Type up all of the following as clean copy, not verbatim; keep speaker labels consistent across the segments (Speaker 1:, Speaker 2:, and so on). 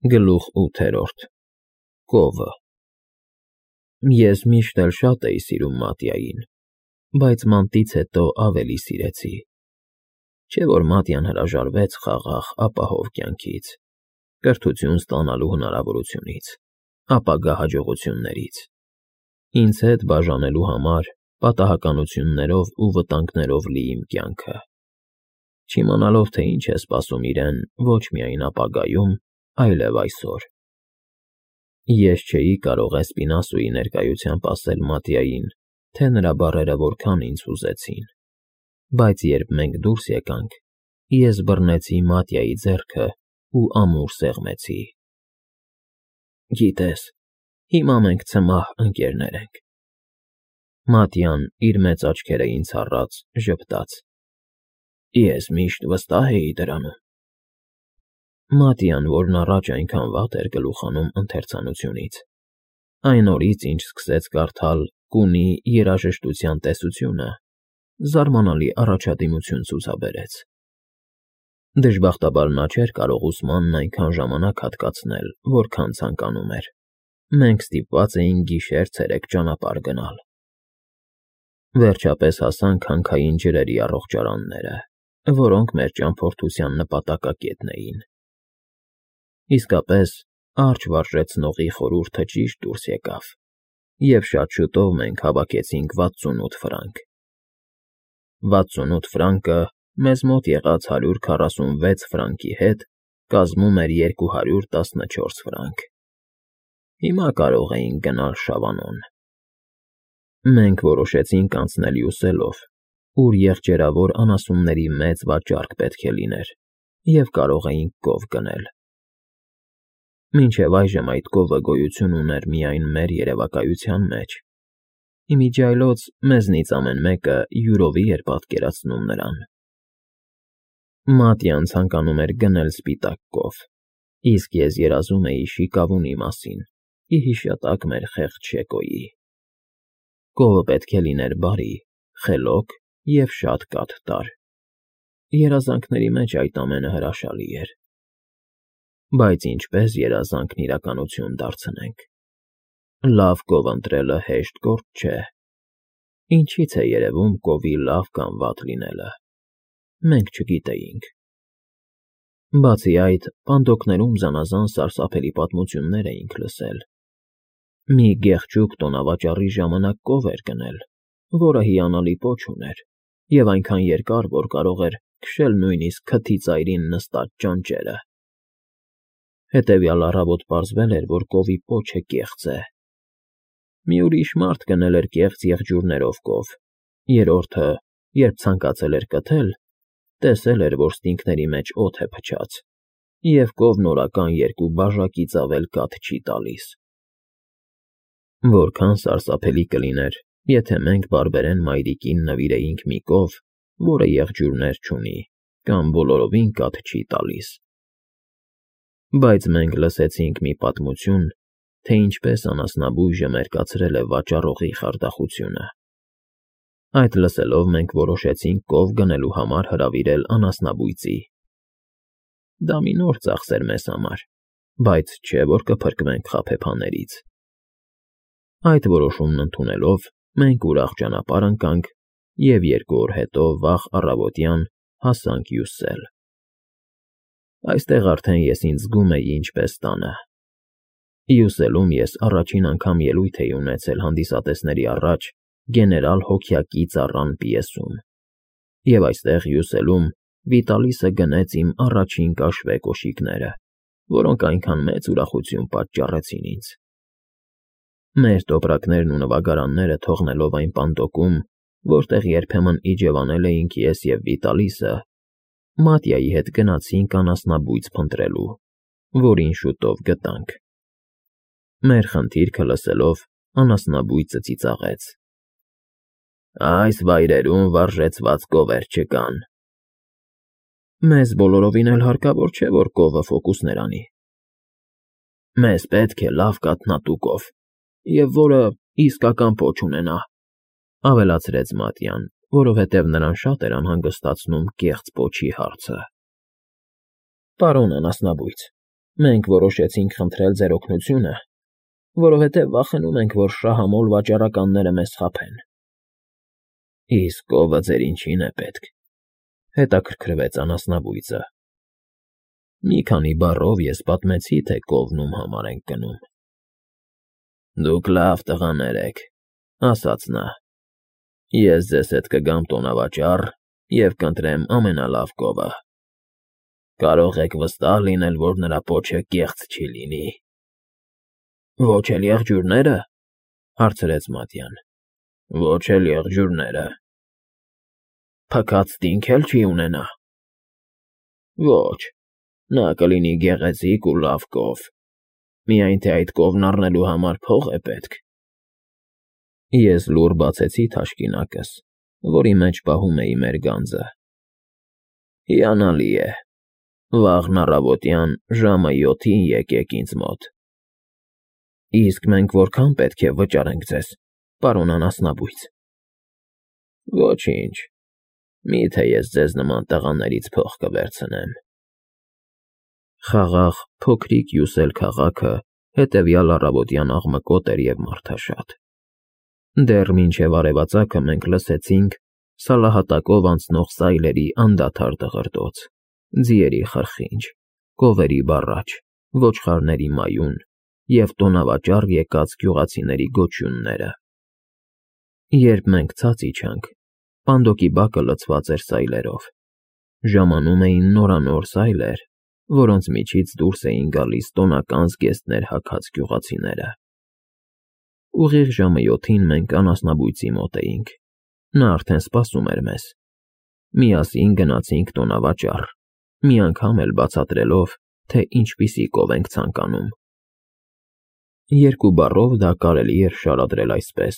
Speaker 1: Գլուխ 8 Կովը Ես միշտ էլ շատ էի սիրում Մատյային, բայց մանտից հետո ավելի սիրեցի, չէ՞ որ Մատյան հրաժարվեց խաղաղ ապահով կյանքից, կրթություն ստանալու հնարավորությունից, ապագա հաջողություններից, ինձ հետ բաժանելու համար պատահականություններով ու վտանգներով լի իմ կյանքը, չիմանալով, թե ինչ է սպասում իրեն ոչ միայն ապագայում, այլև այսօր։ Ես չէի կարող Էսպինասոյի ներկայությամբ ասել Մատյային, թե նրա բառերը որքան ինձ հուզեցին, բայց երբ մենք դուրս եկանք, ես բռնեցի Մատյայի ձեռքը ու ամուր սեղմեցի։ Գիտես, հիմա մենք ցմահ ընկերներ ենք։ Մատյան իր մեծ աչքերը ինձ առած ժպտաց. Ես միշտ վստահ էի դրանում։ Մատյան, որն առաջ այնքան վատ էր գլուխ հանում ընթերցանությունից, այն օրից, ինչ սկսեց կարդալ Կունի երաժշտության տեսությունը, զարմանալի առաջադիմություն ցուցաբերեց։ Դժբախտաբար նա չէր կարող ուսմանն այնքան ժամանակ հատկացնել, որքան ցանկանում էր։ Մենք ստիպված էինք գիշեր-ցերեկ ճանապարհ գնալ։ Վերջապես հասանք հանքային ջրերի առողջարանները, որոնք մեր ճամփորդության նպատակակետն էին։ Իսկապես, արջ վարժեցնողի խորհուրդը ճիշտ դուրս եկավ, և շատ շուտով մենք հավաքեցինք 68 ֆրանկ։ 68 ֆրանկը մեզ մոտ եղած 146 ֆրանկի հետ կազմում էր 214 ֆրանկ։ Հիմա կարող էինք գնալ Շավանոն։ Մենք որոշեցինք անցնել Յուսելով, ուր եղջերավոր անասունների մեծ վաճառք պետք է լիներ, և կարող էինք կով գնել։ Մինչև այժմ այդ կովը գոյություն ուներ միայն մեր երևակայության մեջ, իմիջիայլոց մեզնից ամեն մեկը յուրովի էր պատկերացնում նրան։ Մատյան ցանկանում էր գնել սպիտակ կով, իսկ ես երազում էի շիկավունի մասին, ի հիշատակ մեր խեղճ Շեկոյի։ Կովը պետք է լիներ բարի, խելոք և շատ կաթ տար։ Երազանքների մեջ այդ ամենը հրաշալի էր։ Բայց ինչպես երազանքն իրականություն դարձնենք։ Լավ կով ընտրելը հեշտ գործ չէ։ Ինչից է երևում կովի լավ կամ վատ լինելը։ Մենք չգիտեինք։ Բացի այդ, պանդոկներում զանազան սարսափելի պատմություններ էինք լսել։ Մի գեղեցիկ տոնավաճառի ժամանակ կով էր գնել, որը հիանալի պոչ ուներ, և այնքան երկար, որ կարող էր քշել նույնիսկ քթի ծայրին նստած ճանճերը։ Հետևյալ առավոտ պարզվել էր, որ կովի պոչը կեղծ է։ Մի ուրիշ մարդ գնել էր կեղծ եղջյուրներով կով, երրորդը, երբ ցանկացել էր կթել, տեսել էր, որ ստինգների մեջ օդ է փչած, և կովն օրական 2 բաժակից ավել կաթ չի տալիս։ Որքան սարսափելի կլիներ, եթե մենք բարբերեն մայրիկին նվիրեինք մի կով, որը եղջյուրներ չունի, կամ բոլորովին կաթ չի տալիս։ Բայց մենք լսեցինք մի պատմություն, թե ինչպես անասնաբույժը մերկացրել է վաճառողի խարդախությունը։ Այդ լսելով մենք որոշեցինք կով գնելու համար հրավիրել անասնաբույծի։ Դա մի նոր ծախս էր մեզ համար, բայց չէ՞ որ կփրկվենք խաբեբաներից։ Այդ որոշումն ընդունելով, մենք ուրախ ճանապարհ ընկանք և 2 օր հետո վաղ առավոտյան հասանք Յուսել։ Այստեղ արդեն ես ինձ զգում էի ինչպես տանը։ Յուսելում ես առաջին անգամ ելույթ էի ունեցել հանդիսատեսների առաջ գեներալ Հոգյակի ծառան պիեսում, և այստեղ Յուսելում Վիտալիսը գնեց իմ առաջին կաշվե կոշիկները, որոնք այնքան մեծ ուրախություն պատճառեցին ինձ։ Մեր տոպրակներն ու նվագարանները թողնելով այն պանդոկում, որտեղ երբեմն իջևանել էինք ես և Վիտալիսը, Մատյայի հետ գնացինք անասնաբույծ փնտրելու, որին շուտով գտանք։ Մեր խնդիրքը լսելով, անասնաբույծը ծիծաղեց. Այս վայրերում վարժեցված կովեր չկան։ Մեզ բոլորովին էլ հարկավոր չէ, որ կովը ֆոկուսներ անի։ Մեզ պետք է լավ կաթնատու կով, և որը իսկական պոչ ունենա, ավելացրեց Մատյան, որովհետև նրան շատ էր անհանգստացնում կեղծ պոչի հարցը։ Պարոն անասնաբույծ, Մենք որոշեցինք խնդրել ձեր օգնությունը, որովհետև վախենում ենք, որ շահամոլ վաճառականները մեզ խաբեն։ Իսկ կովը ձեր ինչին է պետք, հետաքրքրվեց անասնաբույծը։ Մի քանի բառով ես պատմեցի, թե կովն ում համար ենք գնում։ Դուք լավ տղաներ եք, ասաց նա։ Ես ձեզ հետ կգամ տոնավաճառ և կընտրեմ ամենալավ կովը։ Կարող եք վստահ լինել, որ նրա պոչը կեղծ չի լինի։ Ոչ էլ եղջյուրնե՞րը, հարցրեց Մատյան։ Ոչ էլ եղջյուրները։ Փքած տինք էլ չի ունենա։ Ոչ, նա կլինի գեղեցիկ ու լավ կով, միայն թե այդ կովն առնելու համար փող է պետք։ Ես լուռ բացեցի թաշկինակս, որի մեջ պահում էի մեր գանձը։ Հիանալի է, վաղն առավոտյան ժամը 7-ին եկեք ինձ մոտ։ Իսկ մենք որքան պետք է վճարենք ձեզ, պարոն անասնաբույծ։ Ոչինչ, միթե ես ձեզ նման տղաներից փող կվերցնեմ։ Խաղաղ, փոքրիկ Յուսել քաղաքը հետևյալ առավոտյան աղմկոտ էր և մարդաշատ։ Դեռ մինչև արևածագը մենք լսեցինք սալահատակով անցնող սայլերի անդադար դղրդոց, ձիերի խրխինջ, կովերի բառաչ, ոչխարների մայուն և տոնավաճառ եկած գյուղացիների գոչյունները։ Երբ մենք ցած իջանք, պանդոկի բակը լցված էր սայլերով։ Ժամանում էին նորանոր սայլեր, որոնց միջից դուրս էին գալիս տոնական զգեստներ հագած գյուղացիները։ Ուղիղ ժամը 7-ին մենք անասնաբույծի մոտ էինք։ Նա արդեն սպասում էր մեզ։ Միասին գնացինք տոնավաճառ, մի անգամ էլ բացատրելով, թե ինչպիսի կով ենք ցանկանում։ Երկու բառով դա կարելի էր շարադրել այսպես.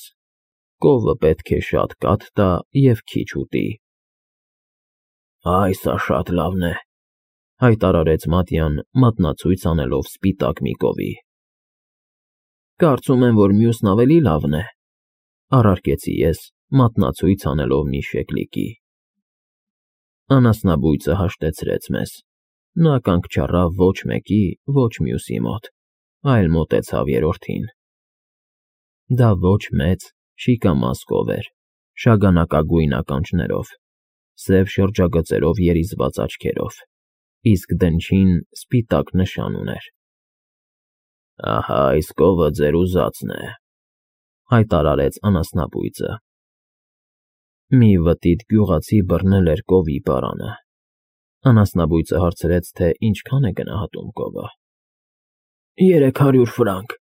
Speaker 1: կովը պետք է շատ կաթ տա և քիչ ուտի։ Այ սա շատ լավն է, հայտարարեց Մատյան, մատնացույց անելով սպիտակ մի կովի։ Կարծում եմ, որ մյուսն ավելի լավն է, առարկեցի ես, մատնացույց անելով մի շեկլիկի։ Անասնաբույծը հաշտեցրեց մեզ։ Նա կանգ չառավ ոչ մեկի, ոչ մյուսի մոտ, այլ մոտեցավ երրորդին։ Դա ոչ մեծ, շիկամազ կով էր, շագանակագույն ականջներով, սև շրջագծերով երիզված աչքերով, իսկ դնչին սպիտակ նշան ուներ։ Ահա այս կովը ձեր ուզածն է, հայտարարեց անասնաբույծը։ Մի վտիտ գյուղացի բռնել էր կովի պարանը։ Անասնաբույծը հարցրեց, թե ինչքան է գնահատում կովը։ 300 ֆրանկ։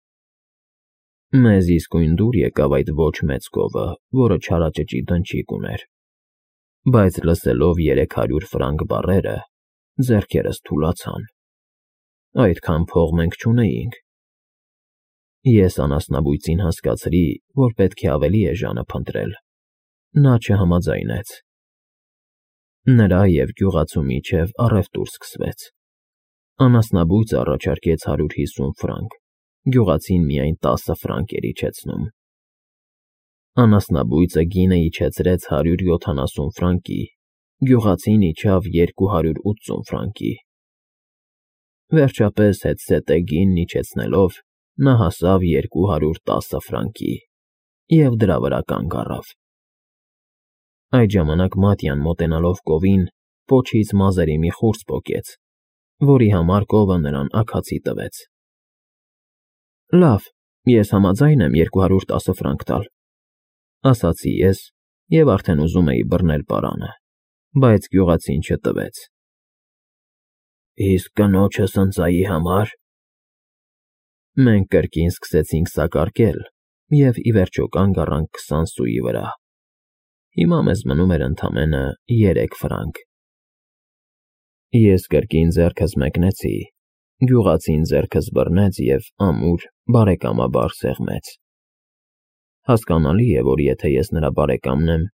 Speaker 1: Մեզ իսկույն դուր եկավ այդ ոչ մեծ կովը, որը չարաճճի դնչիկ ուներ։ Բայց լսելով 300 ֆրանկ բառերը, ձեռքերս թուլացան։ Այդքան փող մենք չունեինք։ Ես անասնաբույծին հասկացրի, որ պետք է ավելի էժանը փնտրել։ Նա չհամաձայնեց։ Նրա և գյուղացու միջև առևտուր սկսվեց։ Անասնաբույծը առաջարկեց 150 ֆրանկ, գյուղացին միայն 10 ֆրանկ էր իջեցնում։ Անասնաբույծը գինը իջեցրեց 170 ֆրանկի, գյուղացին իջավ 280 ֆրանկի։ Վերջապես հետզհետե գինն իջեցնելով, նա հասավ 210 ֆրանկի և դրա վրա կանգ առավ։ Այդ ժամանակ Մատյան մոտենալով կովին, պոչից մազերի մի խուրձ պոկեց, որի համար կովը նրան աքացի տվեց։ Լավ, ես համաձայն եմ 210 ֆրանկ տալ, ասացի ես և արդեն ուզում էի բռնել պարանը, բայց գյուղացին չտվեց։ Իսկ կնոջս ընծայի համար։ Մենք կրկին սկսեցինք սակարկել և ի վերջո կանգ առանք 20 սուի վրա։ Հիմա մեզ մնում էր ընդամենը 3 ֆրանկ։ Ես կրկին ձեռքս մեկնեցի, գյուղացին ձեռքս բռնեց և ամուր, բարեկամաբար սեղմեց։ Հասկանալի է, որ եթե ես նրա բարեկամն եմ,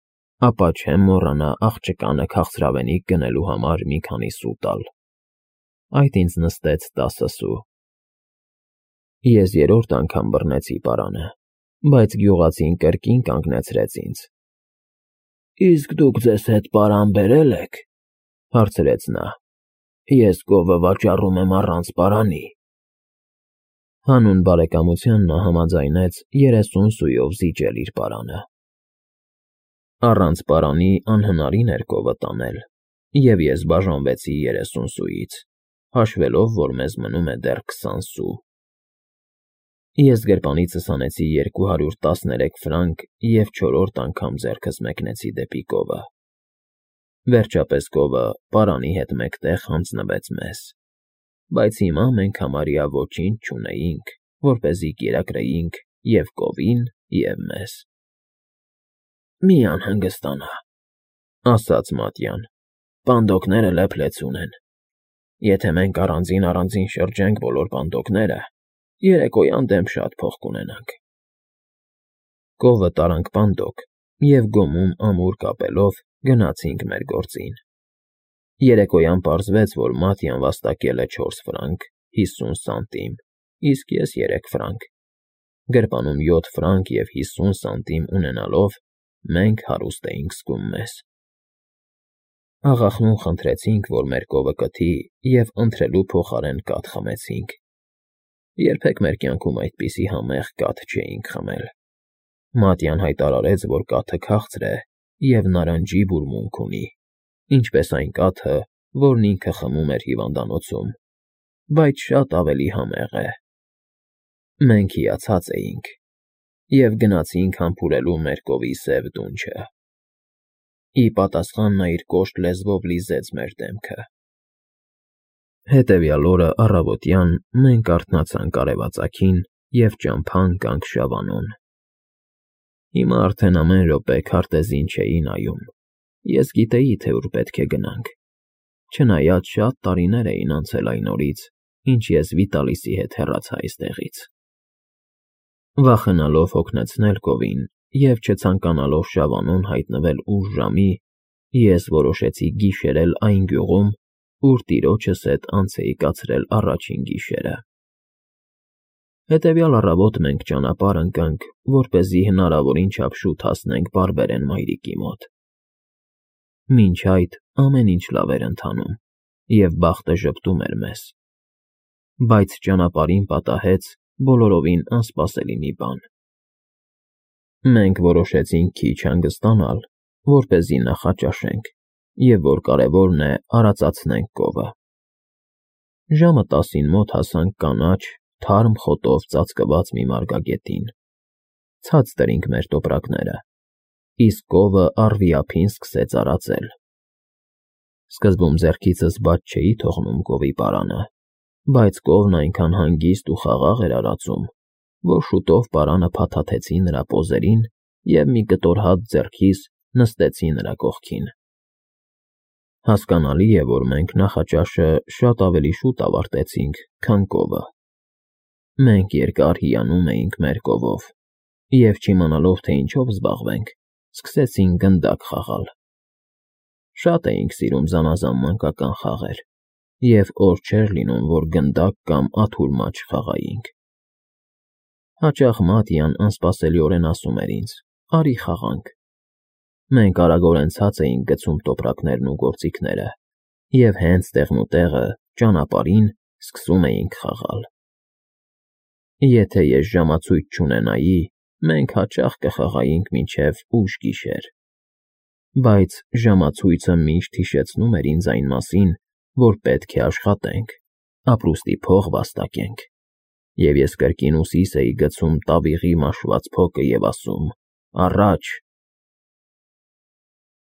Speaker 1: ապա չեմ մոռանա աղջկանը քաղցրավենիք գնելու համար մի քանի սու տալ։ Այդ ինձ նստեց 10 սու։ Ես երրորդ անգամ բռնեցի պարանը, բայց գյուղացին կրկին կանգնեցրեց ինձ։ Իսկ դուք ձեզ հետ պարան բերել եք, հարցրեց նա։ Ես գովը վաճառում եմ առանց պարանի։ Հանուն բարեկամության նա համաձայնեց 30 սույով զիջել իր պարանը։ Առանց պարանի անհնարին էր գովը տանել, և ես բաժանվեցի 30 սուից, հաշվելով, որ մեզ մնում է դեռ 20 սու։ Ես գրպանիցս հանեցի 213 ֆրանկ և չորրորդ անգամ ձեռքս մեկնեցի դեպի գովը։ Վերջապես գովը պարանի հետ մեկտեղ հանձնվեց մեզ, բայց հիմա մենք համարյա ոչինչ չունեինք, որպեսզի կերակրեինք և գովին, և մեզ։ Մի անհանգստանա, ասաց Մատյան, պանդոկները լեփ-լեցուն են։ Եթե մենք առանձին շրջենք բոլոր պանդոկները, երեկոյան դեմ շատ փող կունենանք։ Գովը տարանք պանդոկ և գոմում ամուր կապելով գնացինք մեր գործին։ Երեկոյան պարզվեց, որ Մատյան վաստակել է 4 ֆրանկ 50 սանտիմ, իսկ ես 3 ֆրանկ։ Գրպանում 7 ֆրանկ և 50 սանտիմ ունենալով մենք հարուստ էինք զգում մեզ։ Աղախնուն խնդրեցինք, որ մեր գովը կթի և ընթրելու փոխարեն կաթ խմեցինք։ Երբեք մեր կյանքում այդպիսի համեղ կաթ չէինք խմել։ Մատյան հայտարարեց, որ կաթը քաղցր է և նարնջի բուրմունք ունի, ինչպես այն կաթը, որն ինքը խմում էր հիվանդանոցում, բայց շատ ավելի համեղ է։ Մենք հիացած էինք և գնացինք համբուրելու մեր գովի սև դունչը։ Ի պատասխան նա իր կոշտ լեզվով լիզեց մեր դեմքը։ Հետևյալ օրը առավոտյան մենք արթնացանք արևածագին և ճամփա ընկանք Շավանոն։ Հիմա արդեն ամեն րոպե քարտեզին չէի նայում։ Ես գիտեի, թե ուր պետք է գնանք, չնայած շատ տարիներ էին անցել այն օրից, ինչ ես Վիտալիսի հետ հեռացա այստեղից։ Վախենալով հոգնեցնել գովին և չցանկանալով Շավանոն հայտնվել ուշ ժամի, ես որոշեցի գիշերել այն գյուղում, ուր տիրոջս հետ անց էի կացրել առաջին գիշերը։ Հետևյալ առավոտ մենք ճանապարհ ընկանք, որպեսզի հնարավորին չափ շուտ հասնենք բարբերեն մայրիկի մոտ։ Մինչ այդ ամեն ինչ լավ էր ընթանում, և բախտը ժպտում էր մեզ։ Բայց ճանապարհին պատահեց բոլորովին անսպասելի մի բան։ Մենք որոշեցինք քիչ հանգստանալ, որպեսզի նախաճաշենք, և որ կարևորն է, արածացնենք գովը։ Ժամը 10-ին մոտ հասանք կանաչ, թարմ խոտով ծածկված մի մարգագետին։ Ցած դրինք մեր տոպրակները, իսկ գովը առվի ափին սկսեց արածել։ Սկզբում ձեռքիցս բաց չէի թողնում գովի պարանը, բայց գովն այնքան հանգիստ ու խաղաղ էր արածում, որ շուտով պարանը փաթաթեցի նրա պոզերին և մի կտոր հաց ձեռքիս նստեցի նրա կողքին։ Հասկանալի է, որ մենք նախաճաշը շատ ավելի շուտ ավարտեցինք, քան գովը։ Մենք երկար հիանում էինք մեր գովով և, չիմանալով, թե ինչով զբաղվենք, սկսեցինք գնդակ խաղալ։ Շատ էինք սիրում զանազան մանկական խաղեր, և օր չէր լինում, որ գնդակ կամ աթոռ մաչ չխաղայինք։ Հաճախ Մատյան անսպասելիորեն ասում էր ինձ. «Արի խաղանք»։ Մենք արագորեն ցած էինք գցում տոպրակներն ու գործիքները և հենց տեղնուտեղը, ճանապարհին սկսում էինք խաղալ։ Եթե ես ժամացույց չունենայի, մենք հաճախ կխաղայինք մինչև ուշ գիշեր։ Բայց ժամացույցը միշտ հիշեցնում էր ինձ այն մասին, որ պետք է աշխատենք, ապրուստի փող վաստակենք, և ես կրկին ուսիս էի գցում տավիղի մաշված փոկը և ասում. «Առաջ,